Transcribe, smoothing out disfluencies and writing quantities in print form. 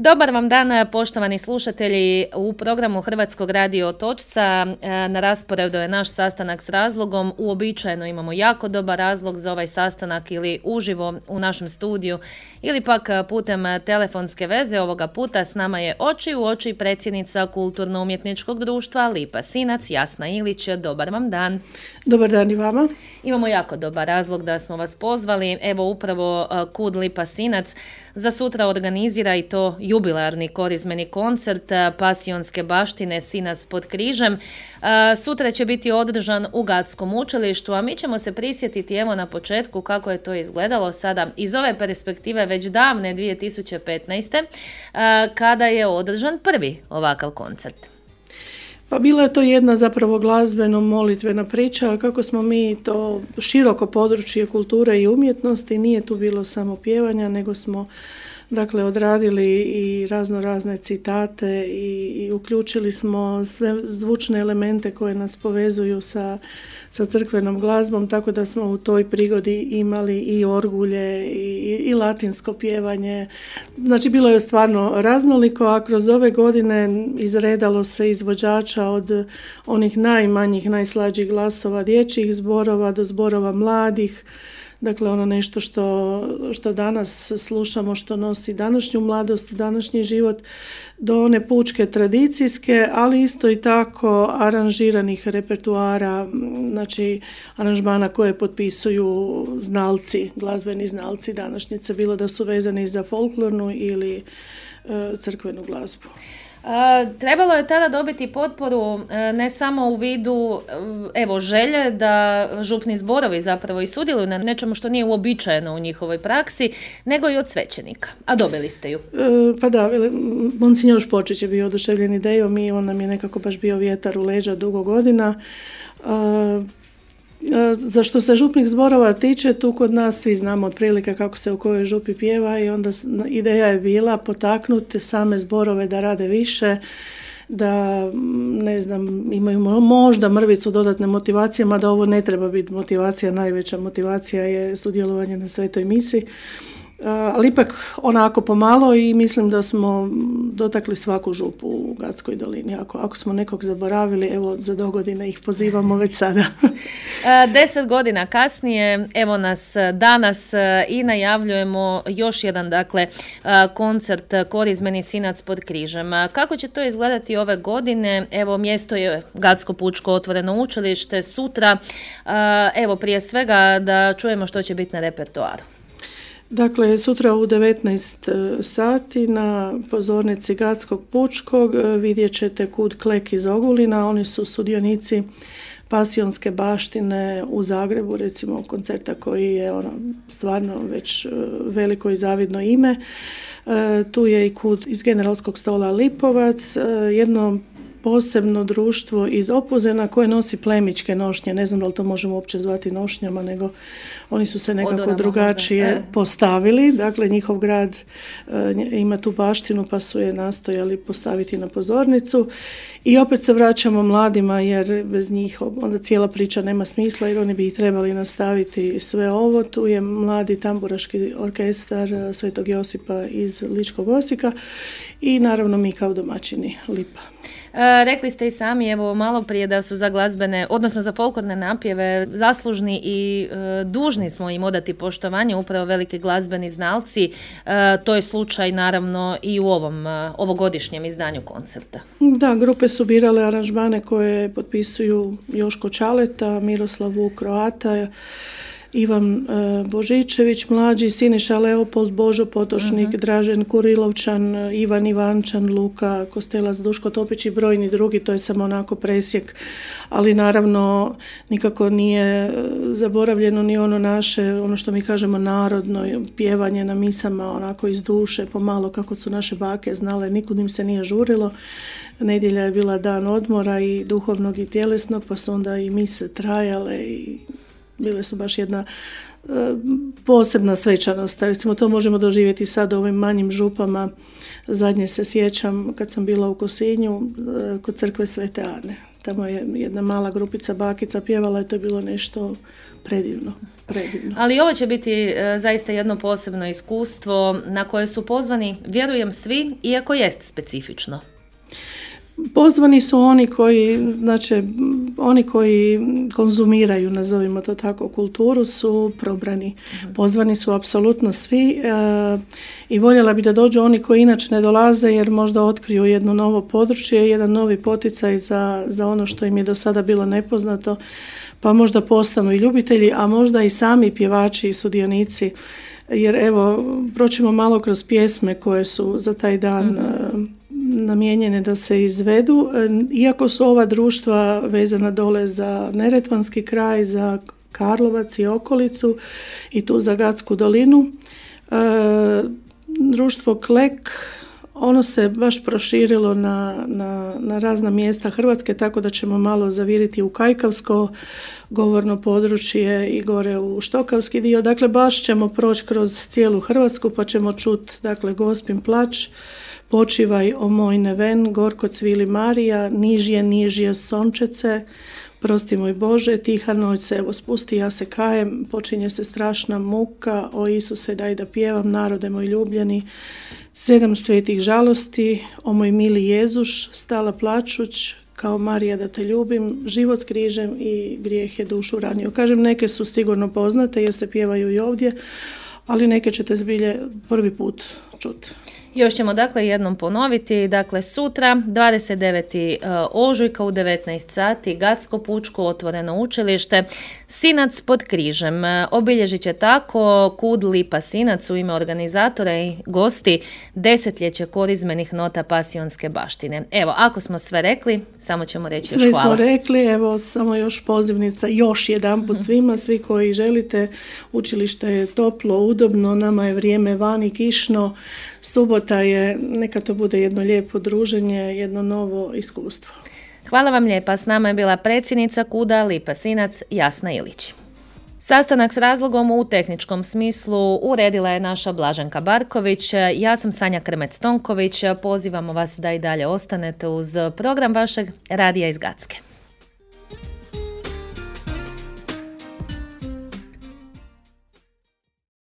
Dobar vam dan, poštovani slušatelji. U programu Hrvatskog radio Otočca na rasporedu je naš sastanak s razlogom. Uobičajeno imamo jako dobar razlog za ovaj sastanak ili uživo u našem studiju ili pak putem telefonske veze. Ovoga puta s nama je oči u oči predsjednica Kulturno-umjetničkog društva Lipa Sinac, Jasna Ilić. Dobar vam dan. Dobar dan i vama. Imamo jako dobar razlog da smo vas pozvali. Evo upravo KUD Lipa Sinac za sutra organizira i to jubilarni korizmeni koncert Pasionske baštine Sinac pod križem. Sutra će biti održan u Gatskom učilištu, a mi ćemo se prisjetiti evo na početku kako je to izgledalo sada iz ove perspektive već davne 2015. Kada je održan prvi ovakav koncert. Pa bila je to jedna zapravo glazbeno-molitvena priča, kako smo mi to široko područje kulture i umjetnosti, nije tu bilo samo pjevanja, nego smo odradili i razne citate i uključili smo sve zvučne elemente koje nas povezuju sa crkvenom glazbom, tako da smo u toj prigodi imali i orgulje i latinsko pjevanje. Znači bilo je stvarno raznoliko, a kroz ove godine izredalo se izvođača od onih najmanjih, najslađih glasova dječjih zborova do zborova mladih. Dakle, ono nešto što danas slušamo, što nosi današnju mladost, današnji život, do one pučke tradicijske, ali isto i tako aranžiranih repertuara, znači aranžmana koje potpisuju znalci, glazbeni znalci današnjice, bilo da su vezani za folklornu ili crkvenu glazbu. Trebalo je tada dobiti potporu ne samo u vidu želje da župni zborovi zapravo i sudjeluju na nečemu što nije uobičajeno u njihovoj praksi, nego i od svećenika. A dobili ste ju. Pa da, Monsignor Špočić je bio oduševljen idejom i on nam je nekako baš bio vjetar u leđa dugo godina. Za što se župnih zborova tiče, tu kod nas svi znamo otprilike kako se u kojoj župi pjeva i onda ideja je bila potaknuti same zborove da rade više, da imaju možda mrvicu dodatne motivacije, mada ovo ne treba biti motivacija, najveća motivacija je sudjelovanje na svetoj misi. Ali ipak onako pomalo i mislim da smo dotakli svaku župu u Gatskoj dolini. Ako smo nekog zaboravili, evo za dogodine ih pozivamo već sada. 10 godina kasnije, evo nas danas i najavljujemo još jedan koncert Korizmeni Sinac pod križem. Kako će to izgledati ove godine? Evo mjesto je Gatsko pučko otvoreno učilište sutra. Evo prije svega da čujemo što će biti na repertoaru. Dakle, sutra u 19 sati na pozornici Gatskog pučkog vidjet ćete KUD Klek iz Ogulina. Oni su sudionici Pasionske baštine u Zagrebu, recimo koncerta koji je stvarno već veliko i zavidno ime. Tu je i KUD iz Generalskog stola Lipovac, jedno posebno društvo iz Opuzena koje nosi plemićke nošnje. Ne znam da li to možemo uopće zvati nošnjama, nego oni su se nekako drugačije postavili. Dakle, njihov grad ima tu baštinu pa su je nastojali postaviti na pozornicu. I opet se vraćamo mladima jer bez njih onda cijela priča nema smisla jer oni bi trebali nastaviti sve ovo. Tu je mladi tamburaški orkestar Svetog Josipa iz Ličkog Osijeka i naravno mi kao domaćini Lipa. Rekli ste i sami, evo malo prije da su za glazbene, odnosno za folklorne napjeve zaslužni i dužni smo im odati poštovanje, upravo veliki glazbeni znalci. To je slučaj naravno i u ovom ovogodišnjem izdanju koncerta. Da, grupe su birale aranžmane koje potpisuju Joško Čaleta, Miroslav Vuk Kroata, Ivan Božičević, mlađi, Siniša Leopold, Božo Potočnik, Dražen Kurilovčan, Ivan Ivančan, Luka Kostelac, Duško Topić i brojni drugi, to je samo onako presjek, ali naravno nikako nije zaboravljeno ni ono naše, ono što mi kažemo narodno pjevanje na misama, onako iz duše, pomalo kako su naše bake znale, nikud im se nije žurilo. Nedjelja je bila dan odmora i duhovnog i tjelesnog, pa su onda i mise trajale i bile su baš jedna posebna svečanost. Recimo to možemo doživjeti sad u ovim manjim župama. Zadnje se sjećam kad sam bila u Kosinju kod crkve Svete Ane. tamo je jedna mala grupica bakica pjevala i to je bilo nešto predivno. Ali ovo će biti zaista jedno posebno iskustvo na koje su pozvani, vjerujem, svi, iako jest specifično. Pozvani su oni koji konzumiraju, nazovimo to tako, kulturu, su probrani. Pozvani su apsolutno svi i voljela bi da dođu oni koji inače ne dolaze jer možda otkriju jedno novo područje, jedan novi poticaj za ono što im je do sada bilo nepoznato, pa možda postanu i ljubitelji, a možda i sami pjevači i sudionici. Jer evo, proćemo malo kroz pjesme koje su za taj dan namijenjene da se izvedu. Iako su ova društva vezana dole za Neretvanski kraj, za Karlovac i okolicu i tu za Gatsku dolinu, društvo Klek, ono se baš proširilo na razna mjesta Hrvatske, tako da ćemo malo zaviriti u Kajkavsko govorno područje i gore u Štokavski dio. Dakle, baš ćemo proći kroz cijelu Hrvatsku pa ćemo čuti, dakle, Gospin plać, Počivaj o moj neven, Gorko cvili Marija, Nižje sončece, Prosti moj Bože, Tiha noć se evo spusti, ja se kajem, počinje se strašna muka, o Isuse daj da pjevam, narode moj ljubljeni, 7 svetih žalosti, o moj mili Jezuš, stala plačuć, kao Marija da te ljubim, život s križem i grijeh je dušu ranio. Kažem, neke su sigurno poznate jer se pjevaju i ovdje, ali neke ćete zbilje prvi put čuti. Još ćemo dakle jednom ponoviti, dakle sutra 29. ožujka u 19 sati Gatsko pučko otvoreno učilište, Sinac pod križem. Obilježit će tako Kud Lipa Sinac u ime organizatora i gosti desetljeće korizmenih nota pasionske baštine. Evo, ako smo sve rekli, samo ćemo reći još hvala. Sve smo rekli, evo samo još pozivnica još jedanput svima, svi koji želite, učilište je toplo, udobno, nama je vrijeme vani kišno, subota je, neka to bude jedno lijepo druženje, jedno novo iskustvo. Hvala vam lijepa, s nama je bila predsjednica Kuda Lipa Sinac Jasna Ilić. Sastanak s razlogom u tehničkom smislu uredila je naša Blaženka Barković, ja sam Sanja Krmec-Tonković, pozivamo vas da i dalje ostanete uz program vašeg radija iz Gatske.